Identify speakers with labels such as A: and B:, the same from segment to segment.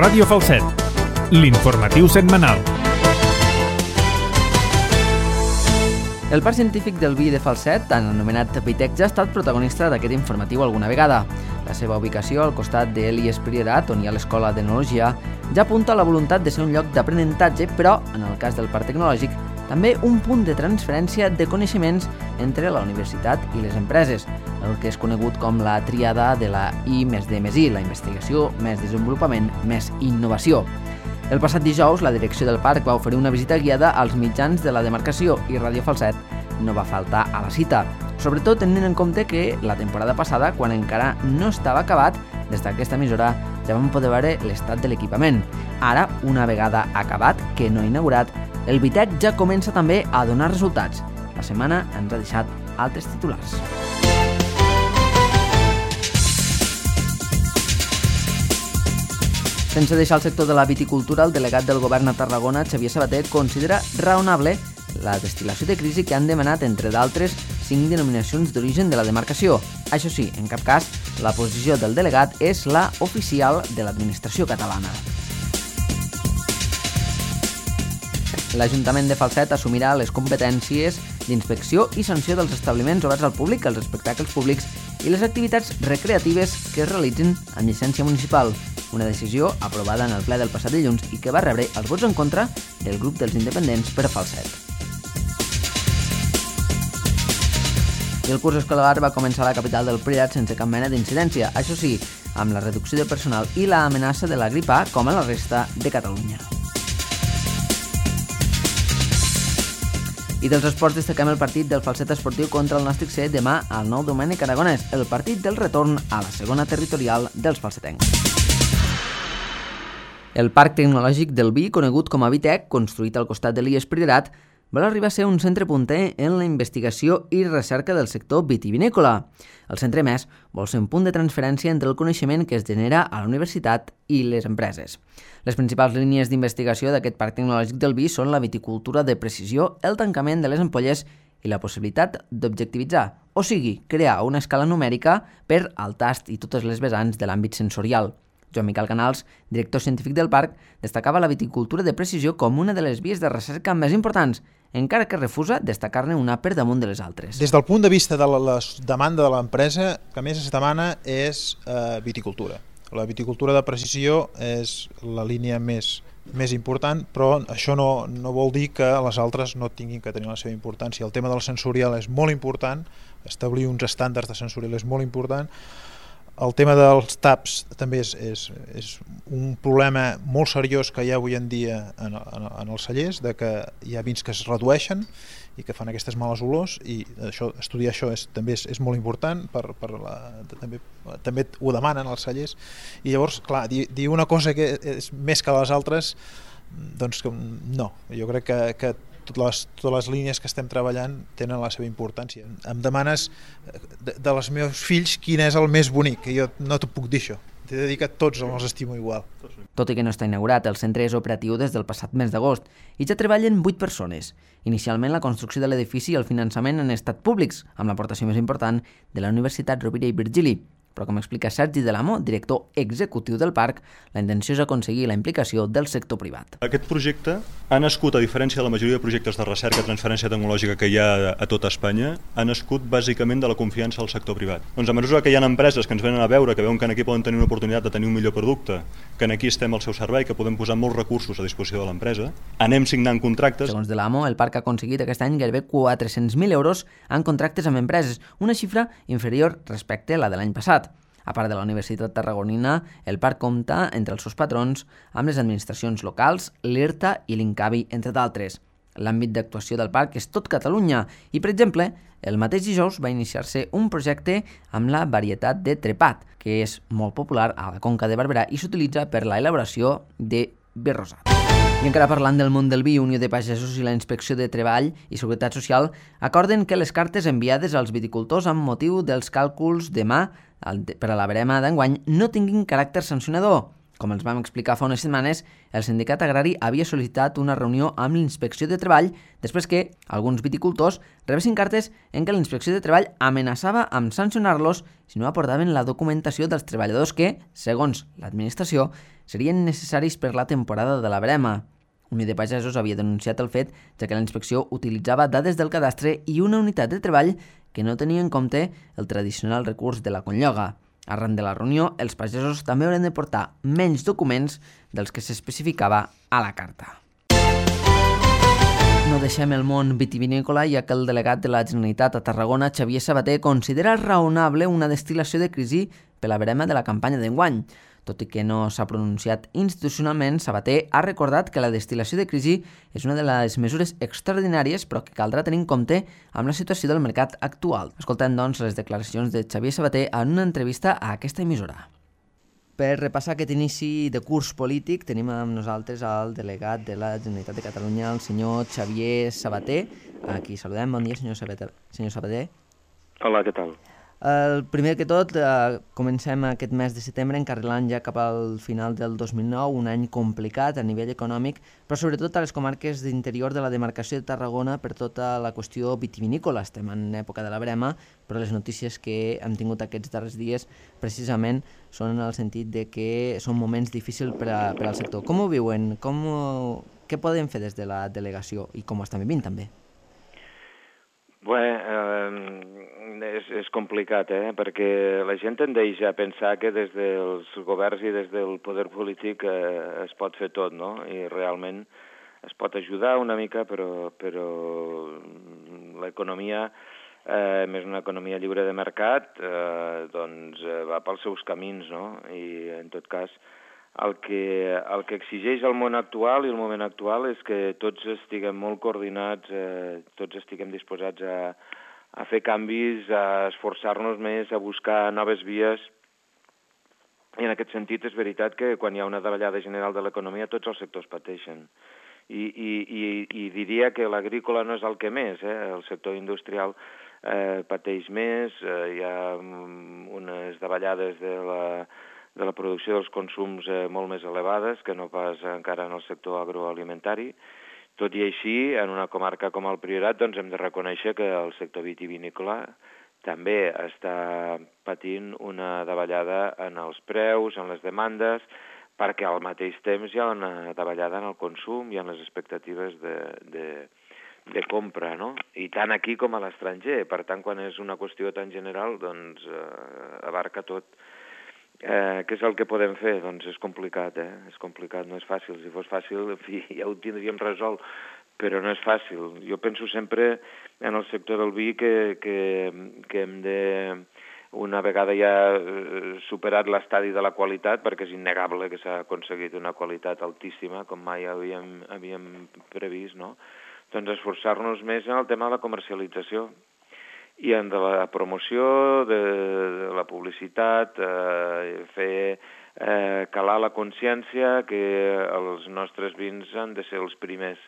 A: Ràdio Falset, l'informatiu setmanal.
B: El Parc Científic del Vi de Falset, tant anomenat Vitec, ja ha estat protagonista d'aquest informatiu alguna vegada. La seva ubicació al costat de l'IES Priorat, on hi ha l'Escola d'Enologia, ja apunta a la voluntat de ser un lloc d'aprenentatge, però, en el cas del Parc Tecnològic, també un punt de transferència de coneixements entre la universitat i les empreses, el que és conegut com la tríada de la I més D més I, la investigació, més desenvolupament, més innovació. El passat dijous, la direcció del parc va oferir una visita guiada als mitjans de la demarcació i Ràdio Falset no va faltar a la cita, sobretot tenint en compte que la temporada passada, quan encara no estava acabat, des d'aquesta emissora ja vam poder veure l'estat de l'equipament. Ara, una vegada acabat, que no inaugurat, el Vitec ja comença també a donar resultats. La setmana ens ha deixat altres titulars. Sense deixar el sector de la viticultura, el delegat del govern a Tarragona, Xavier Sabater, considera raonable la destil·lació de crisi que han demanat, entre d'altres, 5 denominacions d'origen de la demarcació. Això sí, en cap cas, la posició del delegat és la oficial de l'administració catalana. L'Ajuntament de Falset assumirà les competències d'inspecció i sanció dels establiments oberts al públic, els espectacles públics i les activitats recreatives que es realitzin amb llicència municipal. Una decisió aprovada en el ple del passat dilluns i que va rebre els vots en contra del grup dels independents per Falset. I el curs escolar va començar a la capital del Priorat sense cap mena d'incidència, això sí, amb la reducció de personal i l'amenaça de la grip A com a la resta de Catalunya. I dels esports destaquem el partit del Falset Esportiu contra el Nàstic C demà al Nou Domènec Aragonès, el partit del retorn a la segona territorial dels falsetencs. El Parc Tecnològic del Vi, conegut com a Vitec, construït al costat de l'IES Priorat, vol arribar a ser un centre punter en la investigació i recerca del sector vitivinícola. El centre, més, vol ser un punt de transferència entre el coneixement que es genera a la universitat i les empreses. Les principals línies d'investigació d'aquest Parc Tecnològic del Vi són la viticultura de precisió, el tancament de les ampolles i la possibilitat d'objectivitzar, o sigui, crear una escala numèrica per al tast i totes les vessants de l'àmbit sensorial. Joan Miquel Canals, director científic del parc, destacava la viticultura de precisió com una de les vies de recerca més importants, encara que refusa destacar-ne una per damunt de les altres.
C: Des del punt de vista de la demanda de l'empresa, el que més es demana és viticultura. La viticultura de precisió és la línia més important, però això no vol dir que les altres no tinguin que tenir la seva importància. El tema del sensorial és molt important, establir uns estàndards de sensorial és molt important. El tema dels taps també és un problema molt seriós que hi ha avui en dia en els cellers, de que hi ha vins que es redueixen i que fan aquestes males olors, i estudiar això també és molt important, també ho demanen els cellers, i llavors, clar, dir una cosa que és més que les altres, doncs no, jo crec que totes les línies que estem treballant tenen la seva importància. Em demanes dels meus fills quin és el més bonic, que jo no t'ho puc dir això. T'he de dir que tots els estimo igual.
B: Tot i que no està inaugurat, el centre és operatiu des del passat mes d'agost i ja treballen 8 persones. Inicialment, la construcció de l'edifici i el finançament han estat públics, amb l'aportació més important de la Universitat Rovira i Virgili. Però, com explica Sergi Delamo, director executiu del parc, la intenció és aconseguir la implicació del sector privat.
D: Aquest projecte ha nascut, a diferència de la majoria de projectes de recerca i transferència tecnològica que hi ha a tota Espanya, ha nascut bàsicament de la confiança del sector privat. Doncs a mesura que hi ha empreses que ens venen a veure, que veuen que aquí poden tenir una oportunitat de tenir un millor producte, que aquí estem al seu servei, que podem posar molts recursos a disposició de l'empresa, anem signant contractes.
B: Segons Delamo, el parc ha aconseguit aquest any gairebé 400.000 euros en contractes amb empreses, una xifra inferior respecte a la de l'any passat. A part de la Universitat Tarragonina, el parc compta, entre els seus patrons, amb les administracions locals, l'IRTA i l'INCAVI, entre d'altres. L'àmbit d'actuació del parc és tot Catalunya i, per exemple, el mateix dijous va iniciar-se un projecte amb la varietat de trepat, que és molt popular a la Conca de Barberà i s'utilitza per la elaboració de vi rosat. I encara parlant del món del vi, Unió de Pagesos i la Inspecció de Treball i Seguretat Social acorden que les cartes enviades als viticultors amb motiu dels càlculs demà per a la verema d'enguany no tinguin caràcter sancionador. Com els vam explicar fa unes setmanes, el sindicat agrari havia sol·licitat una reunió amb l'Inspecció de Treball després que alguns viticultors rebessin cartes en què l'Inspecció de Treball amenaçava amb sancionar-los si no aportaven la documentació dels treballadors que, segons l'administració, serien necessaris per la temporada de la verema. Unió de Pagesos havia denunciat el fet ja que la inspecció utilitzava dades del cadastre i una unitat de treball que no tenia en compte el tradicional recurs de la conlloga. Arran de la reunió, els pagesos també hauran de portar menys documents dels que s'especificava a la carta. No deixem el món vitivinícola, ja que el delegat de la Generalitat a Tarragona, Xavier Sabater, considera raonable una destil·lació de crisi per la verema de la campanya d'enguany. Tot i que no s'ha pronunciat institucionalment, Sabater ha recordat que la destil·lació de crisi és una de les mesures extraordinàries, però que caldrà tenir en compte amb la situació del mercat actual. Escoltem, doncs, les declaracions de Xavier Sabater en una entrevista a aquesta emissora. Per repassar aquest inici de curs polític, tenim amb nosaltres el delegat de la Generalitat de Catalunya, el senyor Xavier Sabater. Aquí saludem. Bon dia, senyor Sabater.
E: Hola, què tal?
B: Primer que tot, comencem aquest mes de setembre encarrilant ja cap al final del 2009, un any complicat a nivell econòmic, però sobretot a les comarques d'interior de la demarcació de Tarragona per tota la qüestió vitivinícola. Estem en època de la verema, però les notícies que hem tingut aquests darrers dies precisament són en el sentit de que són moments difícils per al sector. Com ho viuen? Què podem fer des de la delegació i com ho estan vivint també?
E: Bé, és complicat, perquè la gent tendeix a pensar que des dels governs i des del poder polític es pot fer tot, no? I realment es pot ajudar una mica, però l'economia, més una economia lliure de mercat, doncs va pels seus camins, no? I en tot cas el que exigeix el món actual i el moment actual és que tots estiguem molt coordinats, tots estiguem disposats a fer canvis, a esforçar-nos més, a buscar noves vies. I en aquest sentit és veritat que quan hi ha una davallada general de l'economia tots els sectors pateixen. I diria que l'agrícola no és el que més, el sector industrial pateix més, hi ha unes davallades de la producció dels consums molt més elevades que no pas encara en el sector agroalimentari. Tot i així, en una comarca com el Priorat, doncs hem de reconèixer que el sector vitivinícola també està patint una davallada en els preus, en les demandes, perquè al mateix temps hi ha una davallada en el consum i en les expectatives de compra, no? I tant aquí com a l'estranger. Per tant, quan és una qüestió tan general, doncs abarca tot. Què és el que podem fer? Doncs és complicat, És complicat, no és fàcil. Si fos fàcil, en fi, ja ho tindríem resolt, però no és fàcil. Jo penso sempre en el sector del vi que hem de, una vegada ja superat l'estadi de la qualitat, perquè és innegable que s'ha aconseguit una qualitat altíssima, com mai havíem previst, no? Doncs esforçar-nos més en el tema de la comercialització i en de la promoció, de la publicitat, fer calar la consciència que els nostres vins han de ser els primers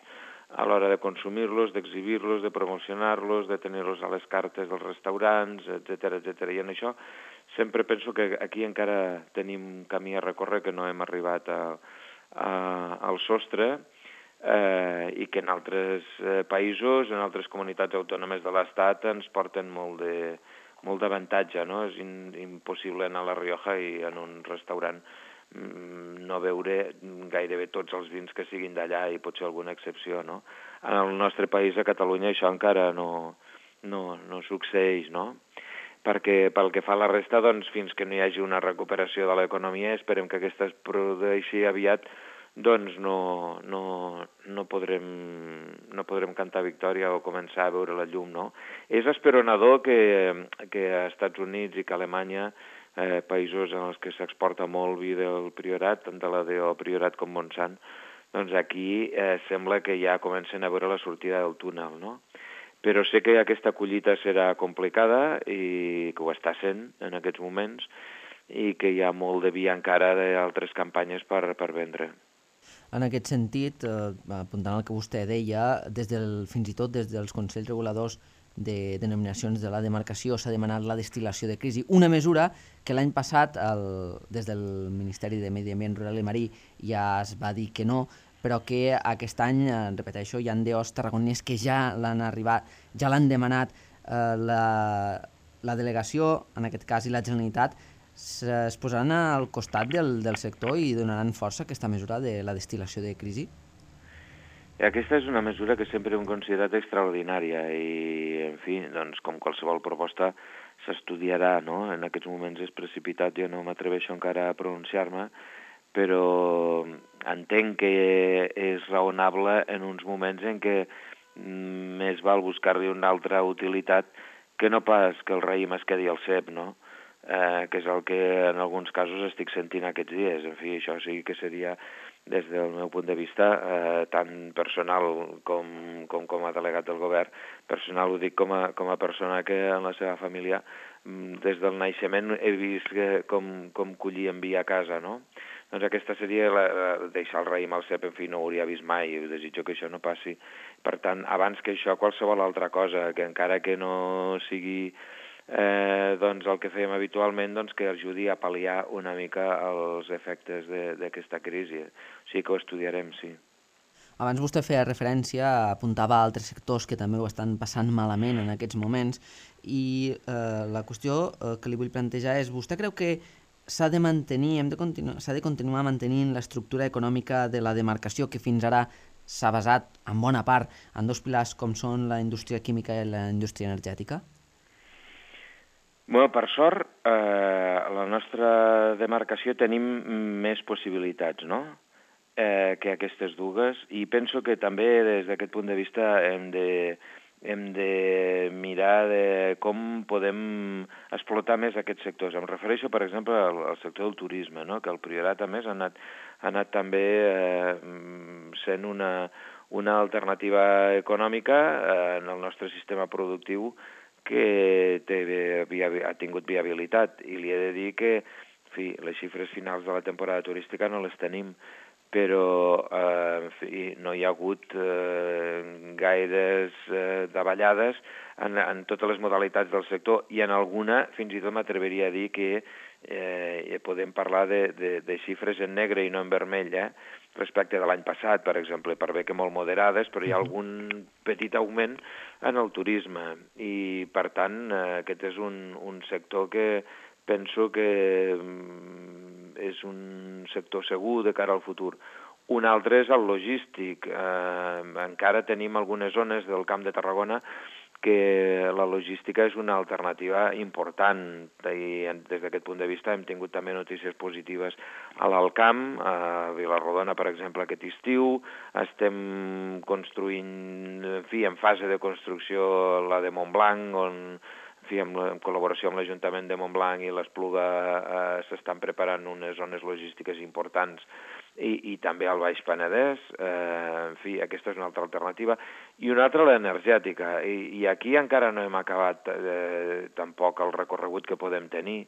E: a l'hora de consumir-los, d'exhibir-los, de promocionar-los, de tenir-los a les cartes dels restaurants, etc. I en això sempre penso que aquí encara tenim camí a recórrer, que no hem arribat al sostre, i que en altres països, en altres comunitats autònomes de l'Estat ens porten molt d'avantatge, no? És impossible anar a La Rioja i en un restaurant no veure gairebé tots els vins que siguin d'allà i potser alguna excepció, no? En el nostre país, a Catalunya, això encara no succeeix, no? Perquè pel que fa a la resta, doncs, fins que no hi hagi una recuperació de l'economia, esperem que aquesta es produeixi aviat, doncs no podrem cantar victòria o començar a veure la llum, no? És esperonador que a Estats Units i que a Alemanya, països en els que s'exporta molt vi del Priorat, tant de la DO Priorat com Montsant, doncs aquí sembla que ja comencen a veure la sortida del túnel, no? Però sé que aquesta collita serà complicada i que ho està sent en aquests moments i que hi ha molt de vi encara d'altres campanyes per vendre.
B: En aquest sentit, apuntant al que vostè deia, fins i tot des dels Consells Reguladors de denominacions de la demarcació s'ha demanat la destil·lació de crisi, una mesura que l'any passat des del Ministeri de Medi Ambient Rural i Marí ja es va dir que no, però que aquest any, repeteixo, hi ha DOs tarragonins que ja l'han demanat. La delegació, en aquest cas, i la Generalitat es posaran al costat del sector i donaran força a aquesta mesura de la destil·lació de crisi?
E: Aquesta és una mesura que sempre hem considerat extraordinària i, en fi, doncs, com qualsevol proposta s'estudiarà, no? En aquests moments és precipitat, jo no m'atreveixo encara a pronunciar-me, però entenc que és raonable en uns moments en què més val buscar-li una altra utilitat que no pas que el raïm es quedi al cep, no? Que és el que en alguns casos estic sentint aquests dies. En fi, això sí que seria, des del meu punt de vista, tant personal com a delegat del govern. Personal ho dic com a persona que en la seva família, des del naixement, he vist com collien vi a casa, no? Doncs aquesta seria deixar el raïm al cep, en fi, no ho hauria vist mai, i desitjo que això no passi. Per tant, abans que això, qualsevol altra cosa, que encara que no sigui doncs el que fèiem habitualment, doncs que ajudi a pal·liar una mica els efectes d'aquesta crisi. O sigui que ho estudiarem, sí.
B: Abans vostè feia referència, apuntava a altres sectors que també ho estan passant malament en aquests moments, i la qüestió que li vull plantejar és, vostè creu que s'ha de mantenir, s'ha de continuar mantenint l'estructura econòmica de la demarcació que fins ara s'ha basat en bona part en dos pilars com són la indústria química i la indústria energètica?
E: Bé, per sort, a la nostra demarcació tenim més possibilitats, no?, que aquestes dues, i penso que també des d'aquest punt de vista hem de mirar de com podem explotar més aquests sectors. Em refereixo, per exemple, al sector del turisme, no?, que el Priorat, a més, ha anat també sent una alternativa econòmica en el nostre sistema productiu que ha tingut viabilitat. I li he de dir que, en fi, les xifres finals de la temporada turística no les tenim, però en fi, no hi ha hagut gaires davallades en totes les modalitats del sector, i en alguna fins i tot m'atreviria a dir que podem parlar de xifres en negre i no en vermell, respecte de l'any passat, per exemple, per bé que molt moderades, però hi ha algun petit augment en el turisme, i per tant aquest és un sector que penso que és un sector segur de cara al futur. Un altre és el logístic. Encara tenim algunes zones del Camp de Tarragona que la logística és una alternativa important, i des d'aquest punt de vista hem tingut també notícies positives a l'Alt Camp, a Vilarrodona, per exemple, aquest estiu. Estem construint, en fi, en fase de construcció la de Montblanc, on en col·laboració amb l'Ajuntament de Montblanc i l'Espluga s'estan preparant unes zones logístiques importants, i també al Baix Penedès. En fi, aquesta és una altra alternativa. I una altra, l'energètica. I aquí encara no hem acabat tampoc el recorregut que podem tenir.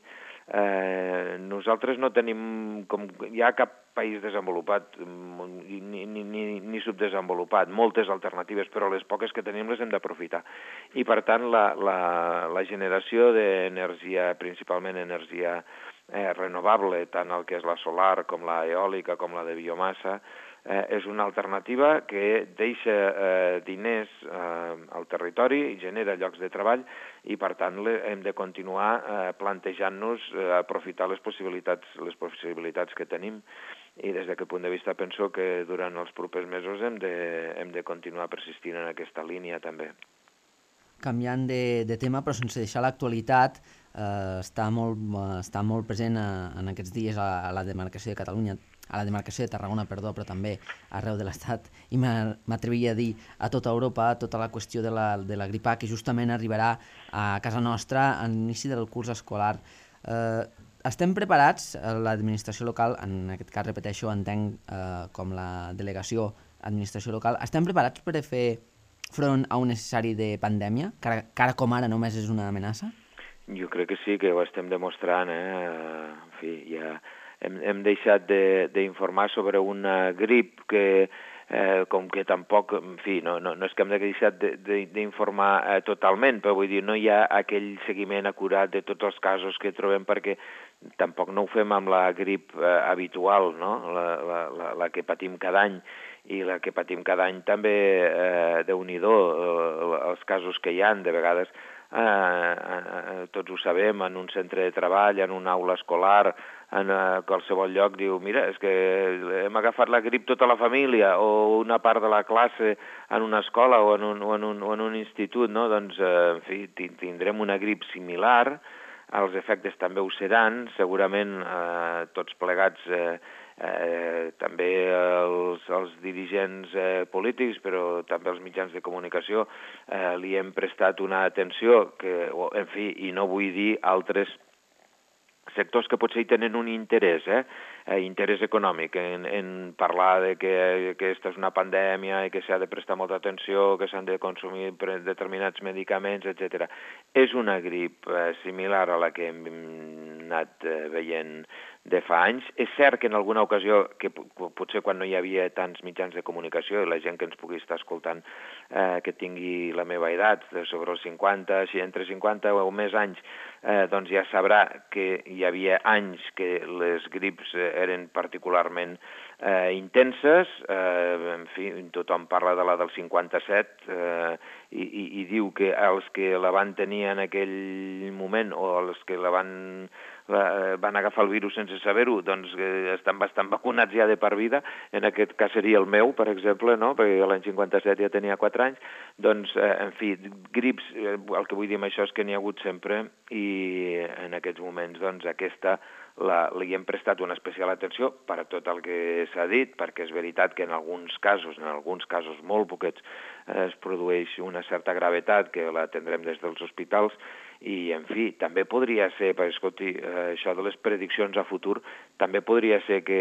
E: Nosaltres no tenim, com hi ha cap país desenvolupat ni subdesenvolupat, moltes alternatives, però les poques que tenim les hem d'aprofitar. I per tant la generació d'energia, principalment energia renovable, tant el que és la solar com la eòlica com la de biomassa, és una alternativa que deixa diners al territori i genera llocs de treball, i per tant hem de continuar plantejant-nos aprofitar les possibilitats que tenim, i des d'aquest punt de vista penso que durant els propers mesos hem de continuar persistint en aquesta línia també.
B: Canviant de tema, però sense deixar l'actualitat, està molt present en aquests dies a la demarcació de Catalunya, a la demarcació de Tarragona, però també arreu de l'Estat, i m'atreviria a dir a tota Europa, tota la qüestió de la grip A, que justament arribarà a casa nostra a l'inici del curs escolar. Estem preparats, l'administració local, en aquest cas, repeteixo, entenc com la delegació administració local, estem preparats per fer front a un necessari de pandèmia, que ara com ara només és una amenaça?
E: Jo crec que sí, que ho estem demostrant. En fi, ja hem deixat d'informar sobre una grip que com que tampoc, en fi, no és que hem deixat d'informar totalment, però vull dir, no hi ha aquell seguiment acurat de tots els casos que trobem, perquè tampoc no ho fem amb la grip habitual, no? La que patim cada any, i la que patim cada any també, Déu-n'hi-do, els casos que hi ha, de vegades, tots ho sabem, en un centre de treball, en una aula escolar, en qualsevol lloc, diu, mira, és que hem agafat la grip tota la família, o una part de la classe en una escola o en un institut, no? Doncs, en fi, tindrem una grip similar, els efectes també ho seran, segurament tots plegats, també els dirigents polítics, però també els mitjans de comunicació, li hem prestat una atenció que, en fi, i no vull dir altres sectors que potser hi tenen un interès, interès econòmic, en parlar de que aquesta és una pandèmia i que s'ha de prestar molta atenció, que s'han de consumir determinats medicaments, etc. És una grip similar a la que hem anat veient de fa anys. És cert que en alguna ocasió, que potser quan no hi havia tants mitjans de comunicació, i la gent que ens pugui estar escoltant que tingui la meva edat, sobre els 50, entre 50 o més anys, doncs ja sabrà que hi havia anys que les grips eren particularment intenses. En fi, tothom parla de la del 57 i diu que els que la van tenir en aquell moment, o els que van agafar el virus sense saber-ho, doncs estan bastant vacunats ja de per vida. En aquest cas seria el meu, per exemple, no? Perquè l'any 57 ja tenia 4 anys. Doncs, en fi, grips, el que vull dir amb això és que n'hi ha hagut sempre, i en aquests moments, doncs, aquesta li hem prestat una especial atenció per a tot el que s'ha dit, perquè és veritat que en alguns casos molt poquets, es produeix una certa gravetat que la tindrem des dels hospitals, i, en fi, també podria ser, perquè, escolti, això de les prediccions a futur, també podria ser que,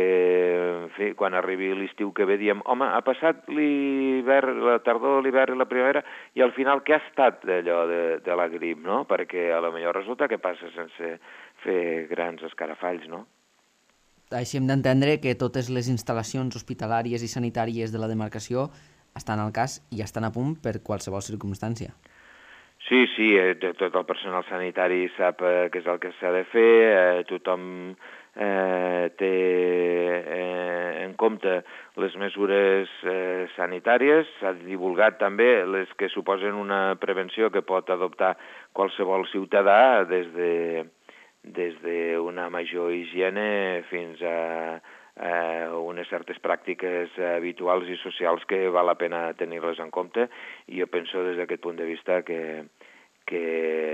E: en fi, quan arribi l'estiu que ve, diem, home, ha passat l'hivern, la tardor, l'hivern i la primavera, i al final què ha estat d'allò de la grip, no? Perquè a lo millor resulta que passa sense fer grans escarafalls, no?
B: Així hem d'entendre que totes les instal·lacions hospitalàries i sanitàries de la demarcació estan al cas i estan a punt per qualsevol circumstància.
E: Sí, tot el personal sanitari sap què és el que s'ha de fer, tothom té en compte les mesures sanitàries, s'ha divulgat també les que suposen una prevenció que pot adoptar qualsevol ciutadà, des d'una major higiene fins a unes certes pràctiques habituals i socials que val la pena tenir-les en compte, i jo penso des d'aquest punt de vista que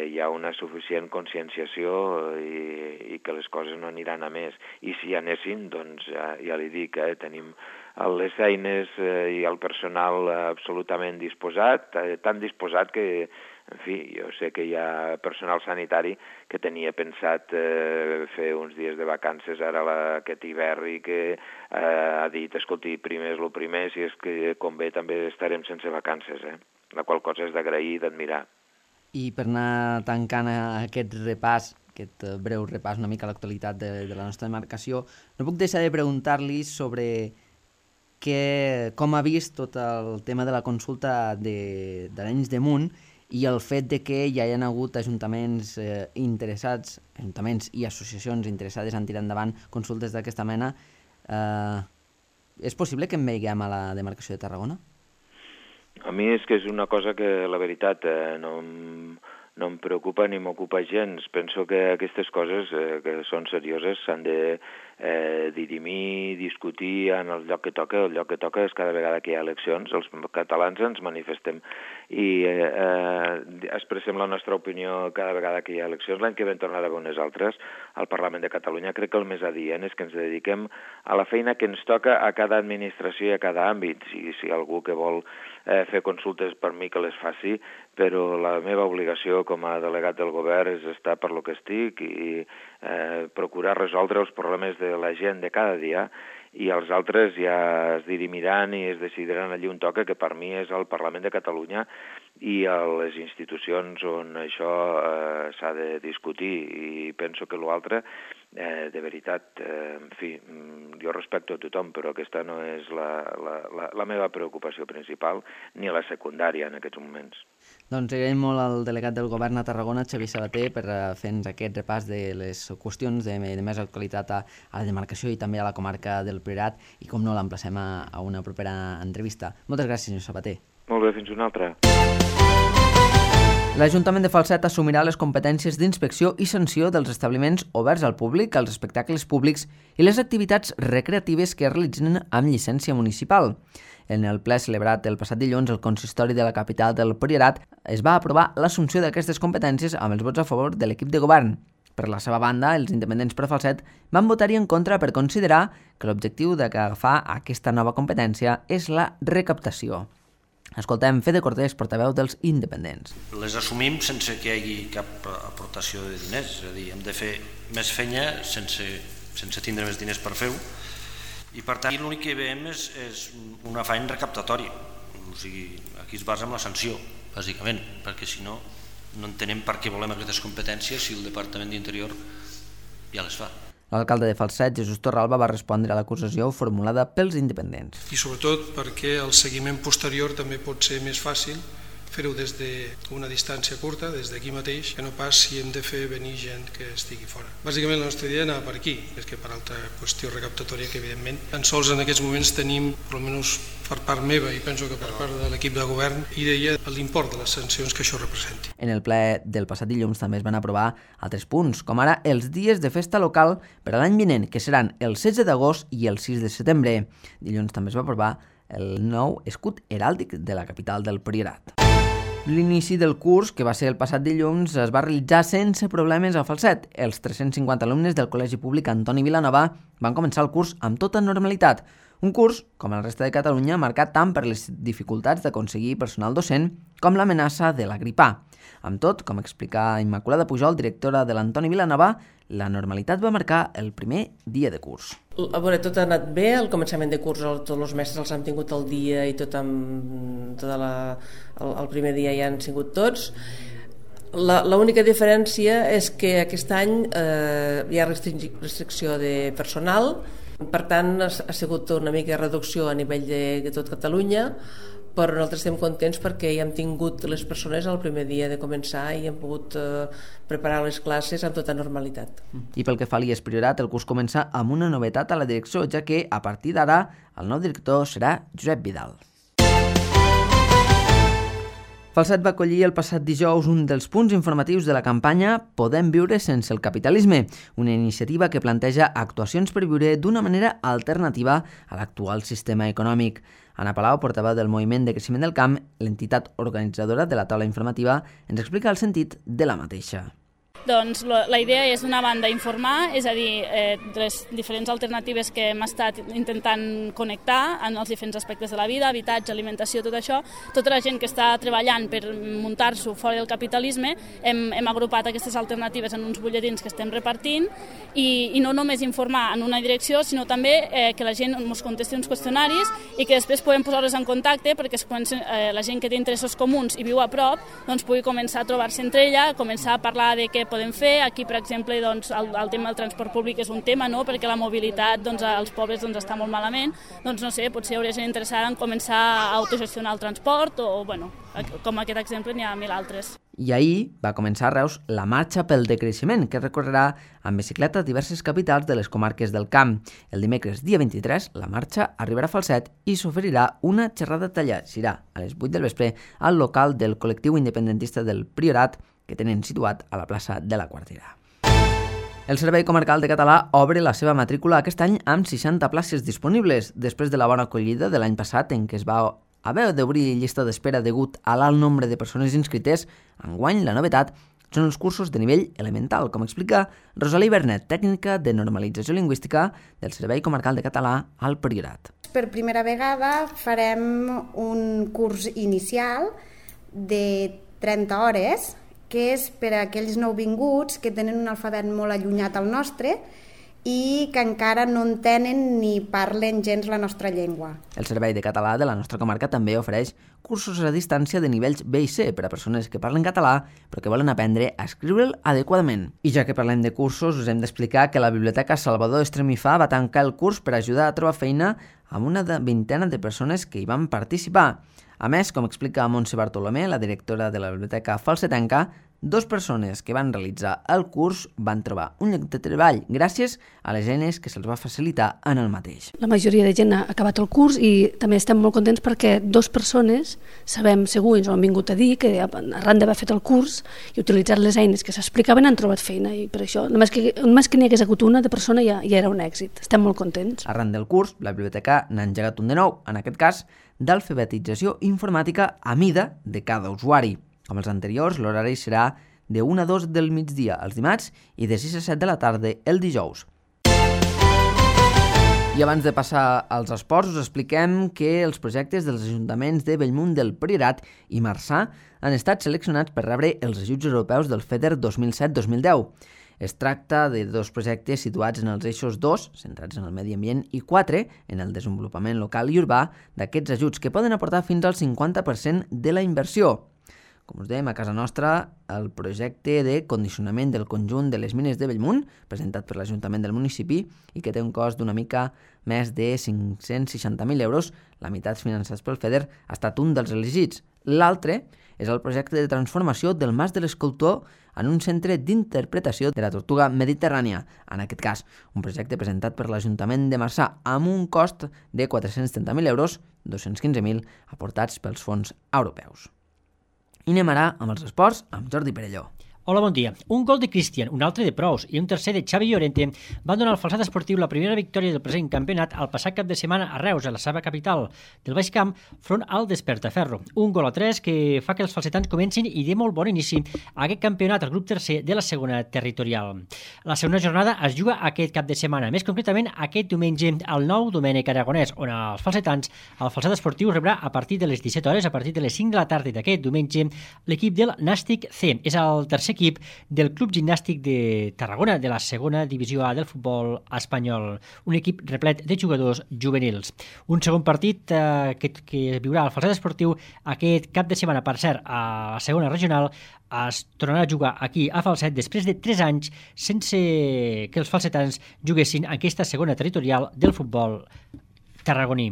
E: hi ha una suficient conscienciació i que les coses no aniran a més. I si anessin, doncs ja li dic, tenim les eines i el personal absolutament disposat, tan disposat que, en fi, jo sé que hi ha personal sanitari que tenia pensat fer uns dies de vacances ara aquest hivern, i que ha dit, escolti, primer és el primer, si és que convé també estarem sense vacances, la qual cosa és d'agrair i d'admirar.
B: I per anar tancant aquest repàs, aquest breu repàs una mica a l'actualitat de la nostra demarcació, no puc deixar de preguntar-li sobre com ha vist tot el tema de la consulta d'Arenys de Munt i el fet de que hi hagi hagut ajuntaments interessats, ajuntaments i associacions interessades en tirar endavant consultes d'aquesta mena. És possible que en veiem a la demarcació de Tarragona?
E: A mi és que és una cosa que, la veritat, no em preocupa ni m'ocupa gens. Penso que aquestes coses que són serioses s'han de dirimir, discutir en el lloc que toca. El lloc que toca és cada vegada que hi ha eleccions. Els catalans ens manifestem i expressem la nostra opinió cada vegada que hi ha eleccions. L'any que vam tornar a veure unes altres al Parlament de Catalunya. Crec que el més adient és que ens dediquem a la feina que ens toca a cada administració i a cada àmbit. Si algú que vol fer consultes, per mi que les faci, però la meva obligació com a delegat del govern és estar per lo que estic i procurar resoldre els problemes de la gent de cada dia, i els altres ja es dirimiran i es decidiran allí on toca, que per mi és el Parlament de Catalunya, i a les institucions on això s'ha de discutir. I penso que l'altre, de veritat, en fi, jo respecto a tothom, però aquesta no és la meva preocupació principal, ni la secundària en aquests moments.
B: Doncs agraïm molt al delegat del govern a Tarragona, Xavier Sabater, per fer-nos aquest repàs de les qüestions de més actualitat a la demarcació i també a la comarca del Priorat, i com no l'emplacem a una propera entrevista. Moltes gràcies, senyor Sabater.
E: Molt bé, fins una altra.
B: L'Ajuntament de Falset assumirà les competències d'inspecció i sanció dels establiments oberts al públic, els espectacles públics i les activitats recreatives que es realitzen amb llicència municipal. En el ple celebrat el passat dilluns, el consistori de la capital del Priorat es va aprovar l'assumpció d'aquestes competències amb els vots a favor de l'equip de govern. Per la seva banda, els independents per Falset van votar-hi en contra per considerar que l'objectiu d'agafar aquesta nova competència és la recaptació. Escoltem Fede Cortés, portaveu dels independents.
F: Les assumim sense que hi hagi cap aportació de diners, és a dir, hem de fer més feina sense tindre més diners per fer-ho, i per tant l'únic que veiem és un afany recaptatori. O sigui, aquí es basa en la sanció, bàsicament, perquè si no, no entenem per què volem aquestes competències si el Departament d'Interior ja les fa.
B: L'alcalde de Falset, Jesús Torralba, va respondre a l'acusació formulada pels independents.
G: I sobretot perquè el seguiment posterior també pot ser més fàcil fer-ho des d'una distància curta, des d'aquí mateix, que no pas si hem de fer venir gent que estigui fora. Bàsicament la nostra idea anava per aquí, és que per altra qüestió recaptatòria que evidentment tan sols en aquests moments tenim, almenys per part meva i penso que per part de l'equip de govern, idea l'import de les sancions que això representi.
B: En el ple del passat dilluns també es van aprovar altres punts, com ara els dies de festa local per a l'any vinent, que seran el 16 d'agost i el 6 de setembre. Dilluns també es va aprovar el nou escut heràldic de la capital del Priorat. L'inici del curs, que va ser el passat dilluns, es va realitzar sense problemes a Falset. Els 350 alumnes del Col·legi Públic Antoni Vilanova van començar el curs amb tota normalitat. Un curs, com el resta de Catalunya, marcat tant per les dificultats d'aconseguir personal docent com l'amenaça de la grip A. Amb tot, com explica Immaculada Pujol, directora de l'Antoni Vilanova, la normalitat va marcar el primer dia de curs.
H: A veure, tot ha anat bé, el començament de curs tots els mestres els han tingut el dia i el primer dia ja han sigut tots. L'única diferència és que aquest any hi ha restricció de personal, per tant ha sigut una mica de reducció a nivell de tot Catalunya, però nosaltres estem contents perquè ja hem tingut les persones el primer dia de començar i hem pogut preparar les classes amb tota normalitat.
B: I pel que fa a l'IES Priorat, el curs comença amb una novetat a la direcció, ja que a partir d'ara el nou director serà Josep Vidal. Falset va acollir el passat dijous un dels punts informatius de la campanya Podem viure sense el capitalisme, una iniciativa que planteja actuacions per viure d'una manera alternativa a l'actual sistema econòmic. Anna Palau, portaveu del Moviment de Creixement del Camp, l'entitat organitzadora de la taula informativa, ens explica el sentit de la mateixa.
I: Doncs la idea és, d'una banda, informar, és a dir, les diferents alternatives que hem estat intentant connectar en els diferents aspectes de la vida, habitatge, alimentació, tot això. Tota la gent que està treballant per muntar-s'ho fora del capitalisme, hem agrupat aquestes alternatives en uns butlletins que estem repartint i no només informar en una direcció, sinó també que la gent ens contesti uns qüestionaris i que després podem posar-los en contacte perquè la gent que té interessos comuns i viu a prop doncs pugui començar a trobar-se entre ella, començar a parlar de què podem fer. Aquí, per exemple, doncs, el tema del transport públic és un tema, no? Perquè la mobilitat doncs, als pobles doncs, està molt malament. Doncs no sé, potser hi hauria gent interessada en començar a autogestionar el transport o bueno, com aquest exemple n'hi ha mil altres.
B: I ahir va començar a Reus la marxa pel decreixement, que recorrerà amb bicicleta a diverses capitals de les comarques del Camp. El dimecres, dia 23, la marxa arribarà a Falset i s'oferirà una xerrada tallada. Serà a les 8 del vespre al local del col·lectiu independentista del Priorat, que tenen situat a la plaça de la Quartera. El Servei Comarcal de Català obre la seva matrícula aquest any amb 60 places disponibles, després de la bona acollida de l'any passat en què es va haver d'obrir llista d'espera degut a l'alt nombre de persones inscrites. Enguany, la novetat són els cursos de nivell elemental, com explica Rosalí Bernet, tècnica de normalització lingüística del Servei Comarcal de Català al Priorat.
J: Per primera vegada farem un curs inicial de 30 hores, que és per a aquells nouvinguts que tenen un alfabet molt allunyat al nostre i que encara no entenen ni parlen gens la nostra llengua.
B: El Servei de Català de la nostra comarca també ofereix cursos a distància de nivells B i C per a persones que parlen català però que volen aprendre a escriure'l adequadament. I ja que parlem de cursos, us hem d'explicar que la Biblioteca Salvador Estremifà va tancar el curs per ajudar a trobar feina amb una vintena de persones que hi van participar. A més, com explica Montse Bartolomé, la directora de la Biblioteca Falsetenca, 2 persones que van realitzar el curs van trobar un lloc de treball gràcies a les eines que se'ls va facilitar en el mateix.
K: La majoria de gent ha acabat el curs i també estem molt contents perquè 2 persones, sabem segur, ens ho han vingut a dir, que arran d'haver fet el curs i utilitzat les eines que s'explicaven han trobat feina i per això, només que n'hi hagués hagut una de persona ja era un èxit. Estem molt contents.
B: Arran del curs, la biblioteca n'ha engegat un de nou, en aquest cas, d'alfabetització informàtica a mida de cada usuari. Com els anteriors, l'horari serà de 1 a 2 del migdia els dimarts i de 6 a 7 de la tarda el dijous. I abans de passar als esports, us expliquem que els projectes dels ajuntaments de Bellmunt del Priorat i Marçà han estat seleccionats per rebre els ajuts europeus del FEDER 2007-2010. Es tracta de 2 projectes situats en els eixos 2, centrats en el medi ambient, i 4, en el desenvolupament local i urbà, d'aquests ajuts que poden aportar fins al 50% de la inversió. Com us dèiem, a casa nostra, el projecte de condicionament del conjunt de les mines de Bellmunt, presentat per l'Ajuntament del municipi i que té un cost d'una mica més de 560.000 euros, la meitat finançats pel FEDER, ha estat un dels elegits. L'altre és el projecte de transformació del Mas de l'Escultor en un centre d'interpretació de la tortuga mediterrània. En aquest cas, un projecte presentat per l'Ajuntament de Marçà amb un cost de 430.000 euros, 215.000 aportats pels fons europeus. I anem ara amb els esports amb Jordi Perelló.
L: Hola, bon dia. Un gol de Cristian, un altre de Prous i un tercer de Xavi Llorente van donar al Falset Esportiu la primera victòria del present campionat el passat cap de setmana a Reus, a la seva capital del Baix Camp, front al Despertaferro. Un gol a 3 que fa que els falsetans comencin i de molt bon inici a aquest campionat al grup tercer de la segona territorial. La segona jornada es juga aquest cap de setmana, més concretament aquest diumenge al Nou Domènec Aragonès, on els falsetans, el Falset Esportiu rebrà a partir de les 17 hores, a partir de les 5 de la tarda d'aquest diumenge, l'equip del Nàstic C. És el tercer equip del Club Gimnàstic de Tarragona, de la segona divisió A del futbol espanyol, un equip replet de jugadors juvenils. Un segon partit que viurà el Falset Esportiu aquest cap de setmana, per cert, a la segona regional, es tornarà a jugar aquí a Falset després de 3 anys sense que els falsetans juguessin aquesta segona territorial del futbol tarragoní.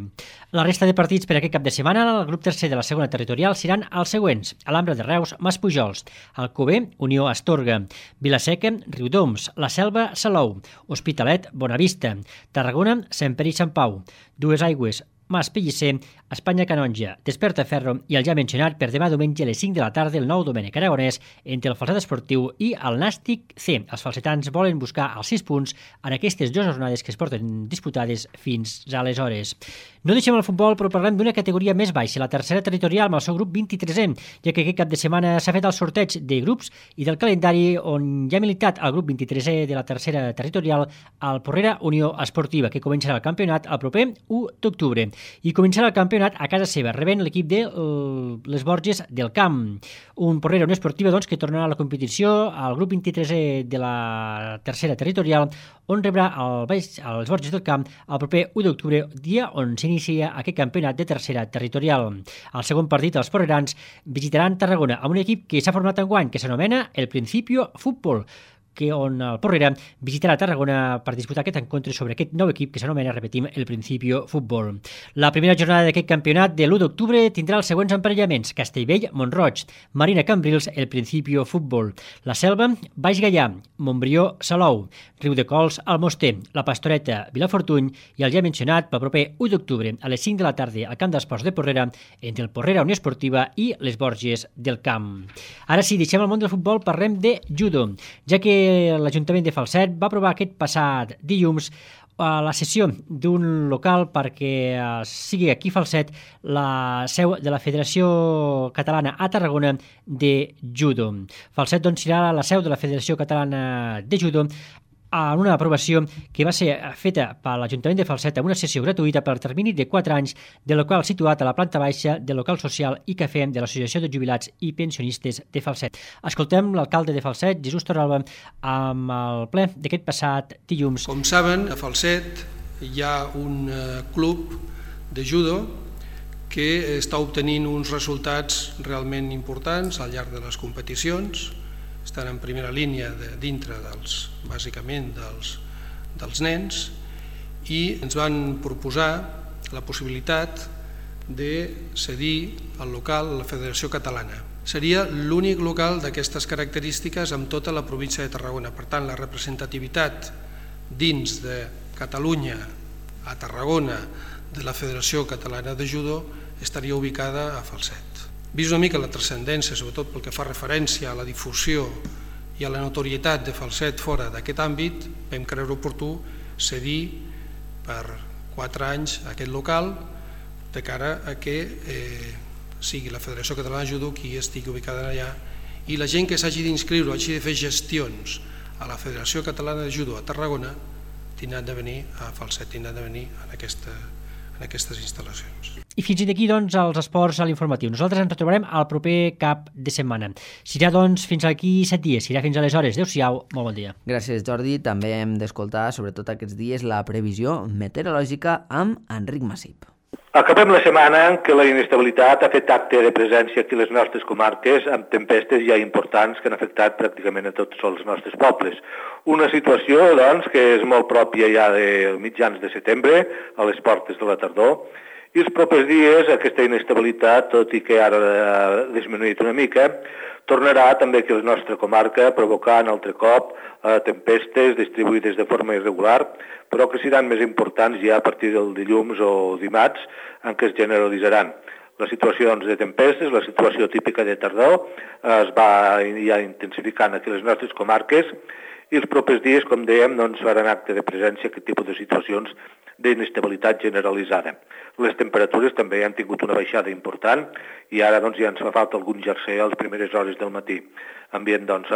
L: La resta de partits per aquest cap de setmana al grup tercer de la segona territorial seran els següents: Alhambra de Reus, Maspujols, Alcover, Unió Astorga, Vilaseca, Riudoms, La Selva, Salou, Hospitalet, Bonavista, Tarragona, Sant Pere i Sant Pau, Dues Aigües, Mas Pellicer, Espanya Canonja, Despertaferro i el ja mencionat per demà diumenge a les 5 de la tarda el Nou Domènec Aragonès entre el Falset Esportiu i el Nàstic C. Els falsetans volen buscar els 6 punts en aquestes 2 jornades que es porten disputades fins aleshores. No deixem el futbol, però parlem d'una categoria més baixa, la tercera territorial amb el seu grup 23è, ja que aquest cap de setmana s'ha fet el sorteig de grups i del calendari on ja ha militat el grup 23è de la tercera territorial al Porrera Unió Esportiva, que començarà el campionat el proper 1 d'octubre. I començarà el campionat a casa seva, rebent l'equip de les Borges del Camp. Un Porrera Unió Esportiva que tornarà a la competició al grup 23è de la tercera territorial, on rebrà els Borges del Camp el proper 1 d'octubre, dia on s'inicia aquest campionat de tercera territorial. Al segon partit, els porrerans visitaran Tarragona amb un equip que s'ha format enguany, que s'anomena El Principio Fútbol, on el Porrera visitarà Tarragona per disputar aquest encontre sobre aquest nou equip que s'anomena, repetim, El Principio Futbol. La primera jornada d'aquest campionat de l'1 d'octubre tindrà els següents emparellaments: Castellbell, Montroig, Marina Cambrils, El Principio Futbol, La Selva, Baix Gaià, Montbrió, Salou, Riudecols, Almoster, La Pastoreta, Vilafortuny i el ja mencionat pel proper 1 d'octubre a les 5 de la tarda al Camp d'Esports de Porrera entre el Porrera Unió Esportiva i les Borges del Camp. Ara sí, deixem el món del futbol, parlem de judo, ja que l'Ajuntament de Falset va aprovar aquest passat dilluns a la cessió d'un local perquè sigui aquí Falset la seu de la Federació Catalana a Tarragona de Judo. Falset serà la seu de la Federació Catalana de Judo en una aprovació que va ser feta per l'Ajuntament de Falset amb una sessió gratuïta per termini de 4 anys del local situat a la planta baixa del local social i cafè de l'Associació de Jubilats i Pensionistes de Falset. Escoltem l'alcalde de Falset, Jesús Torralba, amb el ple d'aquest passat dilluns.
G: Com saben, a Falset hi ha un club de judo que està obtenint uns resultats realment importants al llarg de les competicions. Estan en primera línia dintre bàsicament dels nens, i ens van proposar la possibilitat de cedir el local a la Federació Catalana. Seria l'únic local d'aquestes característiques en tota la província de Tarragona. Per tant, la representativitat dins de Catalunya, a Tarragona, de la Federació Catalana de Judo estaria ubicada a Falset. Vist una mica la transcendència, sobretot pel que fa referència a la difusió i a la notorietat de Falset fora d'aquest àmbit, vam creure oportú cedir per 4 anys aquest local de cara a que sigui la Federació Catalana de Judo qui estigui ubicada allà, i la gent que s'hagi d'inscriure o hagi de fer gestions a la Federació Catalana de Judo a Tarragona tindran de venir a Falset, tindran de venir en aquestes instal·lacions.
L: I fins d'aquí, doncs, els esports a l'informatiu. Nosaltres ens retrobarem al proper cap de setmana. Serà, doncs, fins aquí 7 dies. Serà fins aleshores. Adéu-siau, molt bon dia.
B: Gràcies, Jordi. També hem d'escoltar, sobretot aquests dies, la previsió meteorològica amb Enric Massip.
M: Acabem la setmana en què la inestabilitat ha fet acte de presència aquí a les nostres comarques amb tempestes ja importants que han afectat pràcticament a tots els nostres pobles. Una situació, doncs, que és molt pròpia ja de mitjans de setembre, a les portes de la tardor, i els propers dies aquesta inestabilitat, tot i que ara ha disminuït una mica, tornarà també aquí a la nostra comarca, provocant altre cop tempestes distribuïdes de forma irregular, però que seran més importants ja a partir del dilluns o dimarts, en què es generalitzaran. La situació doncs, de tempestes, la situació típica de tardor, es va ja intensificant aquí a les nostres comarques, i els propers dies, com dèiem, doncs, faran acte de presència aquest tipus de situacions d'inestabilitat generalitzada. Les temperatures també han tingut una baixada important i ara doncs, ja ens fa falta algun jerser a les primeres hores del matí. Ambient doncs,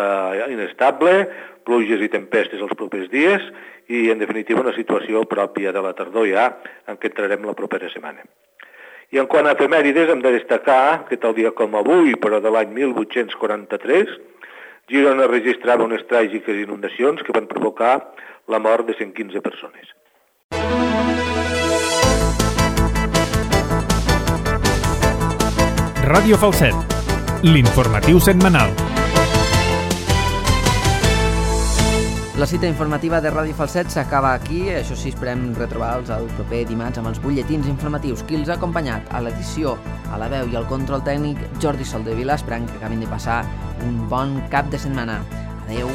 M: inestable, pluges i tempestes els propers dies i, en definitiva, una situació pròpia de la tardor ja en què entrarem la propera setmana. I en quant a efemèrides, hem de destacar que tal dia com avui, però de l'any 1843, Girona registrava unes tràgiques inundacions que van provocar la mort de 115 persones.
A: Ràdio Falset, l'informatiu setmanal.
B: La cita informativa de Ràdio Falset s'acaba aquí. Això sí, esperem retrobar-los el proper dimarts amb els butlletins informatius. Qui els ha acompanyat a l'edició, a la veu i al control tècnic, Jordi Soldevila. Esperem que acabin de passar un bon cap de setmana. Adeu.